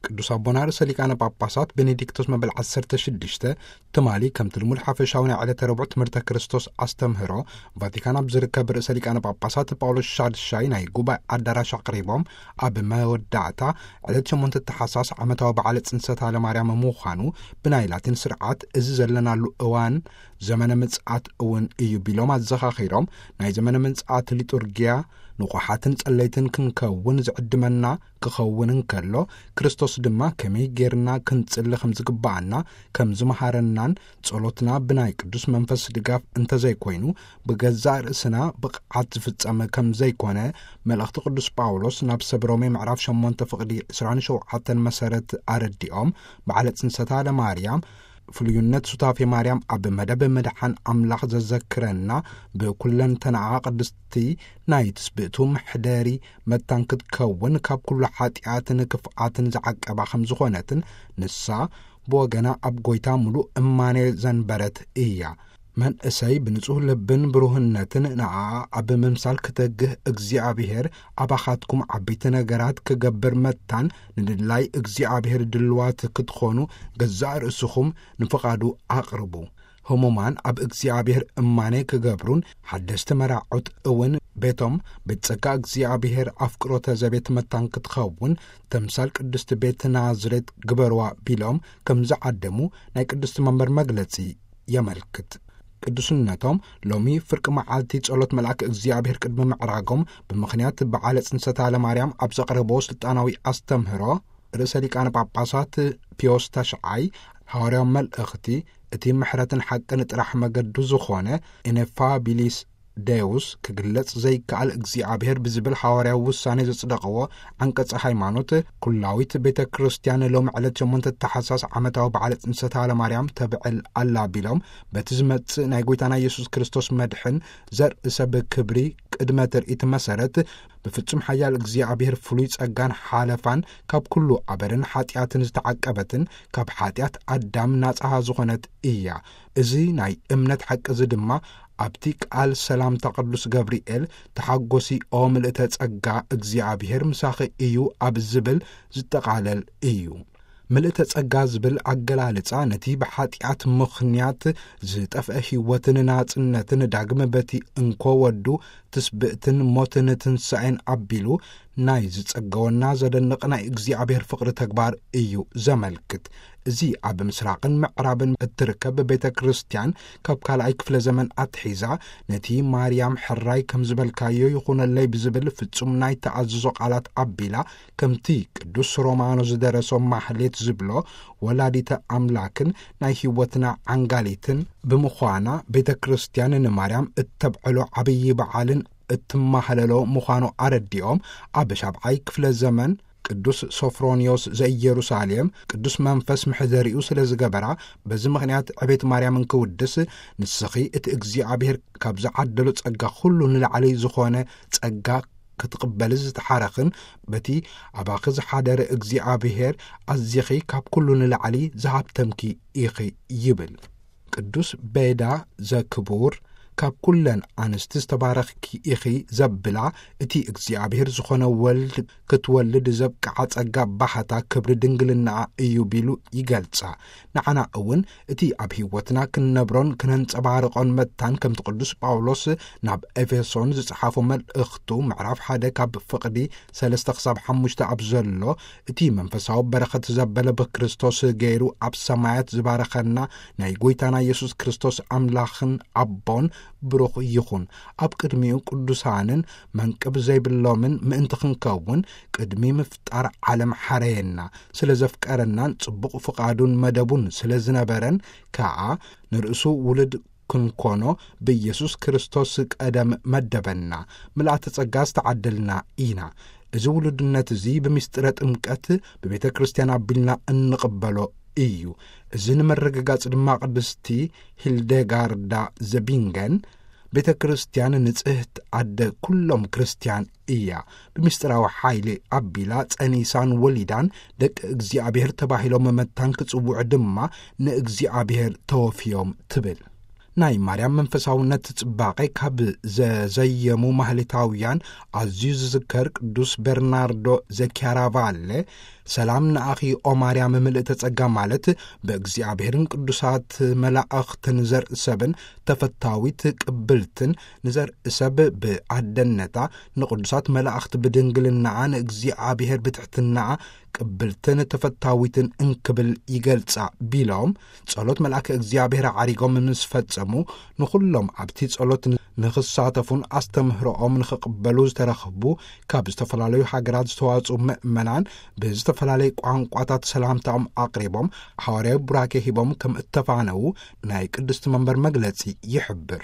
ቅዱስ ኣቦና ርእሰ ሊቃነ ጳጳሳት ቤኔዲክቶስ መበል ዓሰርተ ሽዱሽተ ትማሊ ከምቲ ልሙድ ሓፈሻዊ ናይ ዕለተ ረቡዕ ትምህርተ ክርስቶስ ኣስተምህሮ ቫቲካን ኣብ ዝርከብ ርእሰ ሊቃነ ጳጳሳት ጳውሎስ ሻድሻይ ናይ ጉባኤ ኣዳራሽ ኣቕሪቦም፣ ኣብ መወዳእታ ዕለት ሸሞንተ ተሓሳስ ዓመታዊ በዓለ ጽንሰታ ለማርያም ምዃኑ ብናይ ላቲን ስርዓት እዚ ዘለናሉ እዋን ዘመነ ምጽኣት እውን እዩ ቢሎም ኣዘኻኺሮም፣ ናይ ዘመነ ምጽኣት ሊጡርጊያ ንቑሓትን ጸለይትን ክንከውን ዝዕድመና ክኸውን እንከሎ፣ ክርስቶስ ድማ ከመይ ጌርና ክንጽሊ ከም ዝግብኣና ከም ዝመሃረናን፣ ጸሎትና ብናይ ቅዱስ መንፈስ ድጋፍ እንተዘይኮይኑ ብገዛእ ርእስና ብቕዓት ዝፍጸም ከም ዘይኮነ መልእኽቲ ቅዱስ ጳውሎስ ናብ ሰብ ሮሜ ምዕራፍ ሸሞንተ ፍቕዲ ዕስራን ሸውዓተን መሰረት ኣረዲኦም፣ በዓለ ጽንሰታ ለማርያም ፍሉይነት ሱታፌ ማርያም ኣብ መደብ ምድሓን ኣምላኽ ዘዘክረና፣ ብኩለንተናኣ ቅድስቲ ናይ ትስብእቱ መሕደሪ መታን ክትከውን ካብ ኩሉ ሓጢኣትን ክፍኣትን ዝዓቀባ ከም ዝኾነትን፣ ንሳ ብወገና ኣብ ጐይታ ምሉእ እማኔ ዘንበረት እያ። መንእሰይ ብንጹህ ልብን ብሩህነትን ንኣኣ ኣብ ምምሳል ክተግህ፣ እግዚኣብሔር ኣባኻትኩም ዓበይቲ ነገራት ክገብር መታን፣ ንድላይ እግዚኣብሔር ድልዋት ክትኾኑ ገዛእ ርእስኹም ንፍቓዱ ኣቕርቡ። ህሙማን ኣብ እግዚኣብሔር እማኔ ክገብሩን ሓደስቲ መራዑት እውን ቤቶም ቤት ጸጋ እግዚኣብሔር ኣፍቅሮተ ዘቤት መታን ክትኸውን ተምሳል ቅድስቲ ቤት ናዝሬት ግበርዋ ቢሎም ከም ዝዓደሙ ናይ ቅድስቲ መንበር መግለጺ የመልክት። ቅዱስነቶም ሎሚ ፍርቂ መዓልቲ ጸሎት መልኣክ እግዚኣብሔር ቅድሚ ምዕራጎም ብምኽንያት በዓለ ጽንሰታ ለማርያም ኣብ ዘቕረብዎ ስልጣናዊ ኣስተምህሮ ርእሰ ሊቃነ ጳጳሳት ፒዮስ ተሽዓይ ሃዋርያዊ መልእኽቲ እቲ ምሕረትን ሓቅን ጥራሕ መገዱ ዝኾነ ኢኔፋቢሊስ ደውስ ክግለጽ ዘይከኣል እግዚኣብሔር ብዝብል ሃዋርያዊ ውሳኔ ዘጽደቕዎ ዓንቀጸ ሃይማኖት፣ ኩላዊት ቤተ ክርስቲያን ሎም ዕለት ሸሞንተ ተሓሳስ ዓመታዊ በዓለ ጽንሰታ ለማርያም ተብዕል ኣላ ቢሎም፣ በቲ ዝመጽእ ናይ ጐይታና ኢየሱስ ክርስቶስ መድሕን ዘርኢ ሰብ ክብሪ ቅድመ ትርኢት መሰረት ብፍጹም ሓያል እግዚኣብሔር ፍሉይ ጸጋን ሓለፋን ካብ ኩሉ ኣበርን ሓጢኣትን ዝተዓቀበትን ካብ ሓጢኣት ኣዳም ናጻ ዝኾነት እያ። እዚ ናይ እምነት ሓቂ እዚ ድማ ኣብቲ ቃል ሰላምታ ቅዱስ ገብርኤል፣ "ተሓጎሲ ኦ ምልእተ ጸጋ፣ እግዚኣብሔር ምሳኺ እዩ" ኣብ ዝብል ዝጠቓለል እዩ። ምልእተ ጸጋ ዝብል ኣገላልጻ ነቲ ብሓጢኣት ምኽንያት ዝጠፍአ ህይወትን ናጽነትን ዳግም በቲ እንኮ ወዱ ትስብእትን ሞትን ትንሳኤን ኣቢሉ ናይ ዝጸገወና ዘደንቕ ናይ እግዚኣብሔር ፍቕሪ ተግባር እዩ ዘመልክት። እዚ ኣብ ምስራቕን ምዕራብን እትርከብ ቤተ ክርስቲያን ካብ ካልኣይ ክፍለ ዘመን ኣትሒዛ ነቲ ማርያም ሕራይ ከም ዝበልካዮ ይኹነለይ ብዝብል ፍጹም ናይ ተኣዝዞ ቃላት ኣቢላ፣ ከምቲ ቅዱስ ሮማኖ ዝደረሶ ማህሌት ዝብሎ፣ ወላዲተ ኣምላክን ናይ ህይወትና ዓንጋሊትን ብምዃና፣ ቤተ ክርስቲያን ንማርያም እተብዕሎ ዓብዪ በዓልን እትማህለሎ ምዃኑ ኣረዲኦም፣ ኣብ ሻብዓይ ክፍለ ዘመን ቅዱስ ሶፍሮንዮስ ዘኢየሩሳሌም ቅዱስ መንፈስ ምሕደሪኡ ስለ ዝገበራ፣ በዚ ምኽንያት ዕቤት ማርያም እንክውድስ፣ "ንስኺ እቲ እግዚኣብሔር ካብ ዝዓደሎ ጸጋ ኩሉ ንላዕሊ ዝኾነ ጸጋ ክትቕበሊ ዝተሓረኽን፣ በቲ ኣባኺ ዝሓደረ እግዚኣብሔር ኣዚኺ ካብ ኩሉ ንላዕሊ ዝሃብተምኪ ኢኺ" ይብል። ቅዱስ ቤዳ ዘክቡር፣ "ካብ ኩለን ኣንስቲ ዝተባረኽኪ ኢኺ" ዘብላ፣ እቲ እግዚኣብሔር ዝኾነ ወልድ ክትወልድ ዘብቅዓ ጸጋ ባህታ ክብሪ ድንግልናኣ እዩ ቢሉ ይገልጻ። ንዓና እውን እቲ ኣብ ህይወትና ክንነብሮን ክነንጸባርቆን መታን፣ ከምቲ ቅዱስ ጳውሎስ ናብ ኤፌሶን ዝጸሓፎ መልእኽቱ ምዕራፍ ሓደ ካብ ፍቕዲ ሰለስተ ክሳብ ሓሙሽተ ኣብ ዘሎ፣ እቲ መንፈሳዊ በረኸት ዘበለ ብክርስቶስ ገይሩ ኣብ ሰማያት ዝባረኸና ናይ ጐይታና ኢየሱስ ክርስቶስ ኣምላኽን ኣቦን ብሩኽ ይኹን። ኣብ ቅድሚኡ ቅዱሳንን መንቅብ ዘይብሎምን ምእንቲ ክንከውን ቅድሚ ምፍጣር ዓለም ሓረየና። ስለ ዘፍቀረናን ጽቡቕ ፍቓዱን መደቡን ስለ ዝነበረን ከኣ ንርእሱ ውሉድ ክንኮኖ ብኢየሱስ ክርስቶስ ቀደም መደበና። ምልኣተ ጸጋ ዝተዓደልና ኢና። እዚ ውሉድነት እዚ ብምስጢረ ጥምቀት ብቤተ ክርስቲያን ኣቢልና እንቕበሎ እዩ። እዚ ንምርግጋጽ ድማ ቅድስቲ ሂልደጋርዳ ዘቢንገን፣ "ቤተ ክርስቲያን ንጽህት ኣደ ኩሎም ክርስቲያን እያ። ብምስጢራዊ ሓይሊ ኣቢላ ጸኒሳን ወሊዳን ደቂ እግዚኣብሔር ተባሂሎም መታን ክጽውዑ ድማ ንእግዚኣብሔር ተወፍዮም" ትብል። ናይ ማርያም መንፈሳውነት ጽባቐ ካብ ዘዘየሙ ማህሌታውያን ኣዝዩ ዝዝከር ቅዱስ በርናርዶ ዘኪያራቫለ፣ ሰላም ንኣኺ ኦ ማርያም ምልእተ ጸጋ ማለት ብእግዚኣብሔርን ቅዱሳት መላእኽትን ዘርኢ ሰብን ተፈታዊት ቅብልትን ንዘርኢ ሰብ ብኣደነታ ንቅዱሳት መላእኽቲ ብድንግልናኣ ንእግዚኣብሔር ብትሕትናኣ ቅብልትን ተፈታዊትን እንክብል ይገልጻ ቢሎም ጸሎት መልኣከ እግዚኣብሔር ዓሪጎም ምስ ፈጸሙ ንኹሎም ኣብቲ ጸሎት ንኽሳተፉን ኣስተምህሮኦም ንኽቕበሉ ዝተረኽቡ ካብ ዝተፈላለዩ ሃገራት ዝተዋጽኡ ምእመናን ብዝተፈላለየ ቋንቋታት ሰላምታኦም ኣቕሪቦም ሓዋርያዊ ቡራኬ ሂቦም ከም እተፋነዉ ናይ ቅድስቲ መንበር መግለጺ ይሕብር።